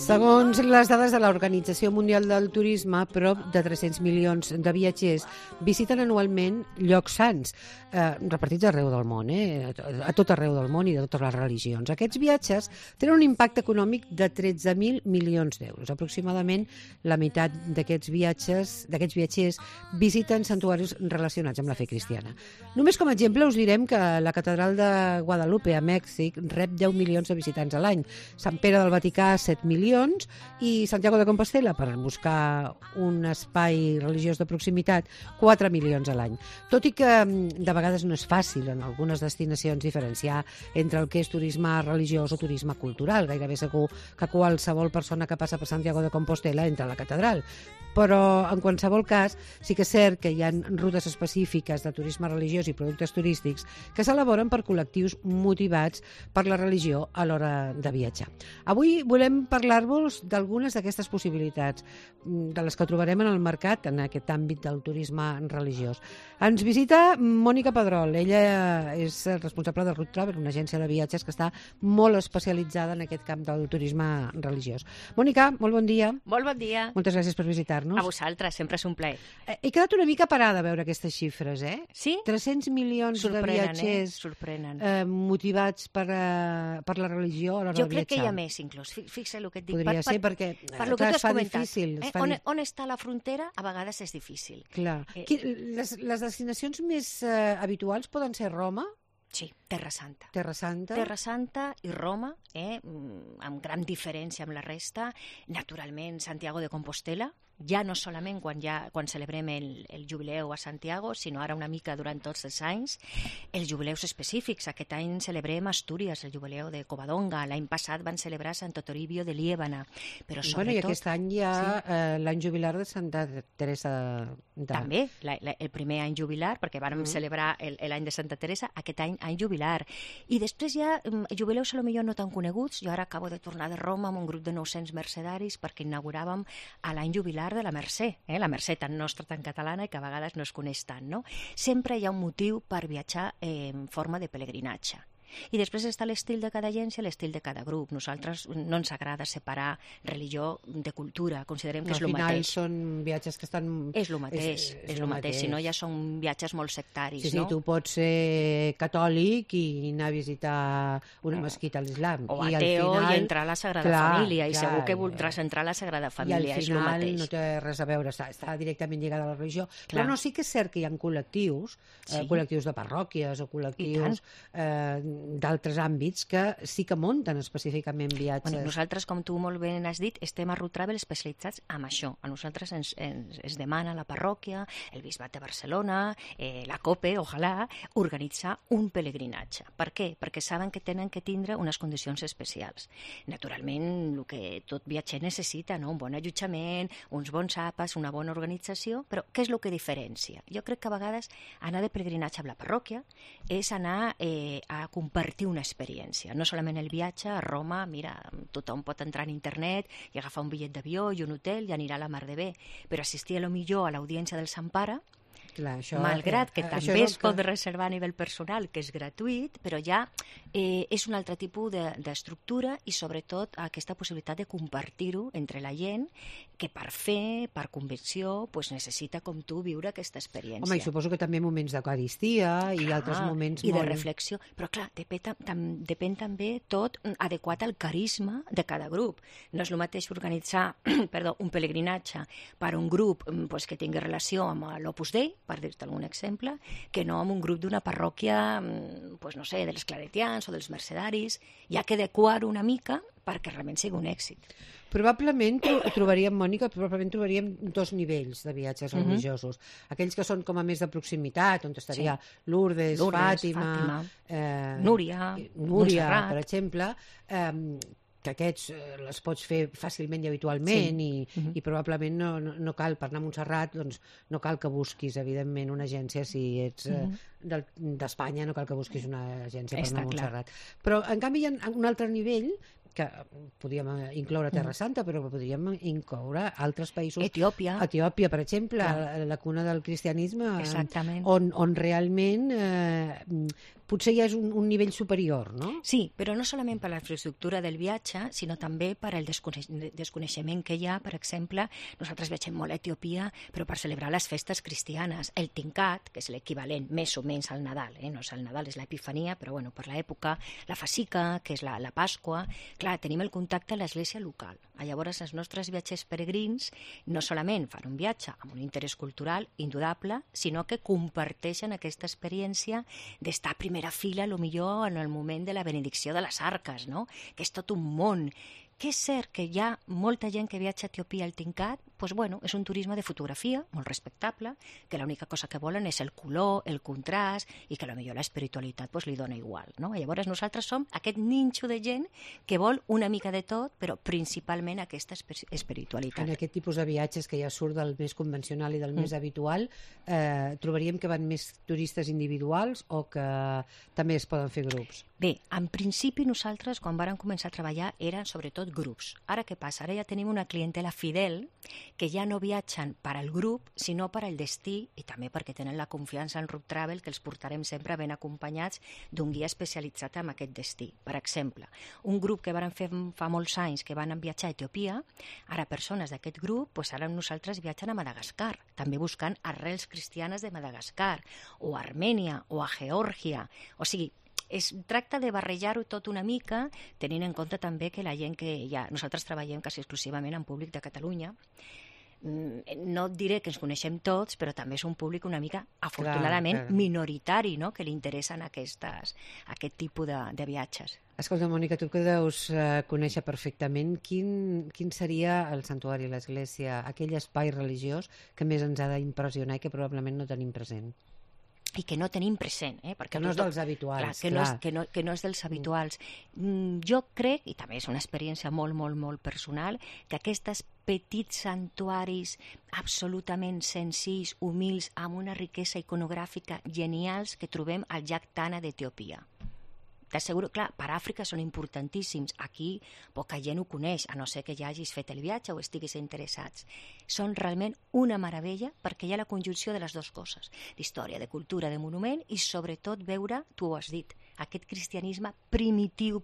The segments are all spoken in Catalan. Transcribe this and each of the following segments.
Segons les dades de l'Organització Mundial del Turisme, prop de 300 milions de viatgers visiten anualment llocs sants, repartits arreu del món, a tot arreu del món i de totes les religions. Aquests viatges tenen un impacte econòmic de 13.000 milions d'euros. Aproximadament la meitat d'aquests viatgers visiten santuaris relacionats amb la fe cristiana. Només com a exemple us direm que la catedral de Guadalupe a Mèxic rep 10 milions de visitants a l'any, Sant Pere del Vaticà 7 milions i Santiago de Compostela, per buscar un espai religiós de proximitat, 4 milions a l'any. Tot i que de vegades no és fàcil en algunes destinacions diferenciar entre el que és turisme religiós o turisme cultural. Gairebé segur que qualsevol persona que passa per Santiago de Compostela entra a la catedral. Però en qualsevol cas sí que és cert que hi ha rutes específiques de turisme religiós i productes turístics que s'elaboren per col·lectius motivats per la religió a l'hora de viatjar. Avui volem parlar-vos d'algunes d'aquestes possibilitats, de les que trobarem en el mercat en aquest àmbit del turisme religiós. Ens visita Mònica Pedrol. Ella és responsable de Route Travel, una agència de viatges que està molt especialitzada en aquest camp del turisme religiós. Mònica, molt bon dia. Molt bon dia. Moltes gràcies per visitar-nos. A vosaltres, sempre és un plaer. He quedat una mica parada a veure aquestes xifres, Sí? 300 milions de viatgers motivats per la religió a l'hora de viatjar. Jo crec que hi ha més, inclús. Fixa el que et dic. Podria ser perquè es fa difícil. On està la frontera, a vegades és difícil. Clar. Les destinacions més habituals poden ser Roma? Sí, Terra Santa. Terra Santa. Terra Santa i Roma, amb gran diferència amb la resta. Naturalment, Santiago de Compostela, ja no solament quan celebrem el jubileu a Santiago, sinó ara una mica durant tots els anys, els jubileus específics. Aquest any celebrem Astúries, el jubileu de Covadonga. L'any passat van celebrar Santo Toribio de Liébana. Però sobretot... I aquest any hi ha l'any jubilar de Santa Teresa de... També, el primer any jubilar, perquè vàrem celebrar l'any de Santa Teresa, aquest any jubilar. I després hi ha jubileus potser no tan coneguts. Jo ara acabo de tornar de Roma amb un grup de 900 mercedaris perquè inauguràvem l'any jubilar de la Mercè, la Mercè tan nostra, tan catalana, i que a vegades no es coneix tant, no? Sempre hi ha un motiu per viatjar en forma de pelegrinatge. I després està l'estil de cada agència, l'estil de cada grup. Nosaltres no ens agrada separar religió de cultura, considerem que és el mateix. Al final són viatges que estan... És el mateix, és el mateix, si no ja són viatges molt sectaris, no? Sí, tu pots ser catòlic i anar a visitar una mesquita a l'islam. O ateu i entrar a la Sagrada Família, i segur que voldràs entrar a la Sagrada Família, és el mateix. I al final no té res a veure, està directament lligada a la religió. Però no, sí que és cert que hi ha col·lectius, col·lectius de parròquies o col·lectius d'altres àmbits que sí que munten específicament viatges. Nosaltres, com tu molt bé has dit, estem a Route Travel especialitzats en això. A nosaltres ens demana la parròquia, el Bisbat de Barcelona, la COPE, ojalà, organitzar un pelegrinatge. Per què? Perquè saben que tenen que tindre unes condicions especials. Naturalment, el que tot viatger necessita, un bon allotjament, uns bons àpats, una bona organització, però què és el que diferencia? Jo crec que a vegades anar de pelegrinatge amb la parròquia és anar a compartir una experiència. No solament el viatge a Roma, mira, tothom pot entrar en internet i agafar un bitllet d'avió i un hotel i anirà a la mar de bé, però assistir a lo millor a l'audiència del Sant Pare, malgrat que també es pot reservar a nivell personal, que és gratuït, però ja és un altre tipus d'estructura i sobretot aquesta possibilitat de compartir-ho entre la gent que per fer, per convicció, necessita, com tu, viure aquesta experiència. Home, i suposo que també moments d'eucaristia i altres moments i de reflexió. Però clar, depèn també tot adequat al carisma de cada grup. No és el mateix organitzar un pelegrinatge per un grup que tingui relació amb l'Opus Dei, per dir-te algun exemple, que no amb un grup d'una parròquia, no sé, dels claretians o dels mercedaris. Hi ha que adequar-ho una mica perquè realment sigui un èxit. Probablement trobaríem, Mònica, dos nivells de viatges religiosos. Aquells que són com a més de proximitat, on estaria Lourdes, Fàtima, Núria, Montserrat, per exemple, que aquests les pots fer fàcilment i habitualment i probablement no cal, per anar a Montserrat, doncs no cal que busquis, evidentment, una agència, si ets d'Espanya, no cal que busquis una agència per anar a Montserrat. Però, en canvi, hi ha un altre nivell que podíem incloure Terra Santa, però podríem incloure altres països. Etiòpia, per exemple, la cuna del cristianisme, exactament. on realment potser ja és un nivell superior, no? Sí, però no solament per la infraestructura del viatge, sinó també per el desconeixement que hi ha. Per exemple, nosaltres viatgem molt a Etiòpia, però per celebrar les festes cristianes. El Tincat, que és l'equivalent més o menys al Nadal, no és el Nadal, és l'Epifania, però bueno, per l'època, la Fasica, que és la Pasqua, clar, tenim el contacte a l'església local. Llavors, els nostres viatgers peregrins no solament fan un viatge amb un interès cultural indudable, sinó que comparteixen aquesta experiència d'estar a primera fila, millor en el moment de la benedicció de les arques, no? Que és tot un món. Que és cert que hi ha molta gent que viatja a Etiòpia al Tincat, doncs bueno, és un turisme de fotografia, molt respectable, que l'única cosa que volen és el color, el contrast, i que potser l'espiritualitat li dona igual, no? Llavors nosaltres som aquest ninxo de gent que vol una mica de tot, però principalment aquesta espiritualitat. En aquest tipus de viatges que ja surt del més convencional i del més habitual, trobaríem que van més turistes individuals o que també es poden fer grups? Bé, en principi nosaltres, quan vàrem començar a treballar, eren sobretot grups. Ara què passa? Ara ja tenim una clientela fidel que ja no viatgen per al grup, sinó per al destí, i també perquè tenen la confiança en Root Travel, que els portarem sempre ben acompanyats d'un guia especialitzat en aquest destí. Per exemple, un grup que vàrem fer fa molts anys que van viatjar a Etiòpia, ara persones d'aquest grup, ara nosaltres viatgen a Madagascar, també buscant arrels cristianes de Madagascar, o a Armènia, o a Geòrgia. O sigui, es tracta de barrejar-ho tot una mica, tenint en compte també que la gent que nosaltres treballem quasi exclusivament amb públic de Catalunya. No et diré que ens coneixem tots, però també és un públic una mica, afortunadament, minoritari, no?, que li interessen aquest tipus de viatges. Escolta, Mònica, tu que deus conèixer perfectament, quin seria el santuari, l'església, aquell espai religiós que més ens ha d'impressionar i que probablement no tenim present? I que no tenim present, perquè que no és dels habituals. Clar, que no és dels habituals. Jo crec, i també és una experiència molt, molt, molt personal, que aquests petits santuaris absolutament senzills, humils, amb una riquesa iconogràfica genials que trobem al llac Tana d'Etiòpia. T'asseguro, clar, per Àfrica són importantíssims. Aquí poca gent ho coneix, a no ser que ja hagis fet el viatge o estiguis interessats. Són realment una meravella perquè hi ha la conjunció de les dues coses, d'història, de cultura, de monument i sobretot veure, tu ho has dit, aquest cristianisme primitiu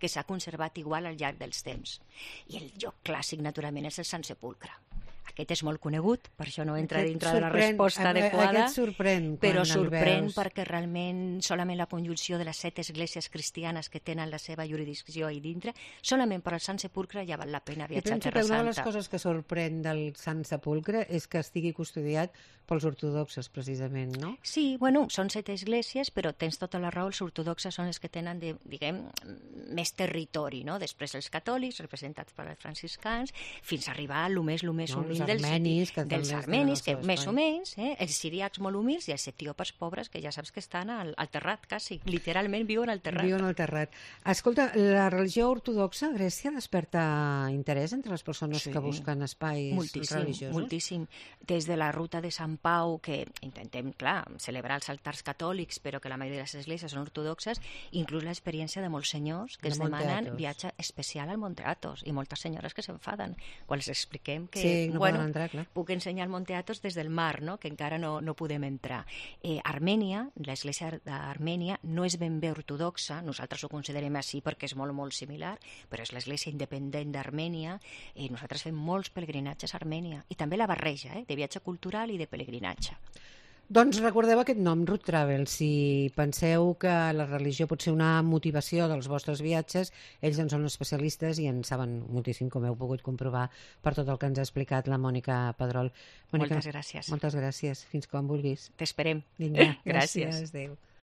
que s'ha conservat igual al llarg dels temps. I el lloc clàssic, naturalment, és el Sant Sepulcre. Aquest és molt conegut, per això no entra dintre de la resposta adequada. Aquest sorprèn però sorprèn perquè realment solament la conjunció de les 7 esglésies cristianes que tenen la seva jurisdicció ahí dintre, solament per al Sant Sepulcre ja val la pena viatjar a Terra Santa. Una de les coses que sorprèn del Sant Sepulcre és que estigui custodiat pels ortodoxes, precisament, no? Sí, bueno, són 7 esglésies, però tens tota la raó, els ortodoxes són els que tenen, diguem, més territori, no? Després els catòlics, representats per els franciscans, fins a arribar a lo més humil dels armenis, que més o menys, els siríacs molt humils i els etíopes pobres, que ja saps que estan al terrat, quasi, literalment viuen al terrat. Viuen al terrat. Escolta, la religió ortodoxa a Grècia desperta interès entre les persones que busquen espais religiosos? Moltíssim. Des de la ruta de Sant Pau, que intentem, clar, celebrar els altars catòlics, però que la majoria de les esglésies són ortodoxes, inclús l'experiència de molts senyors que es demanen viatge especial al Monte Athos, i moltes senyores que s'enfaden quan els expliquem que puc ensenyar el Monte Athos des del mar, no? Que encara no podem entrar. Armènia, l'església d'Armènia, no és ben bé ortodoxa, nosaltres ho considerem així perquè és molt, molt similar, però és l'església independent d'Armènia, i nosaltres fem molts pelegrinatges a Armènia, i també la barreja, de viatge cultural i de pelegrinatge. Doncs recordeu aquest nom, Root Travel. Si penseu que la religió pot ser una motivació dels vostres viatges, ells en són especialistes i en saben moltíssim, com heu pogut comprovar per tot el que ens ha explicat la Mònica Pedrol. Mònica, moltes gràcies. Moltes gràcies. Fins quan vulguis. T'esperem. Vinga, gràcies. Adéu.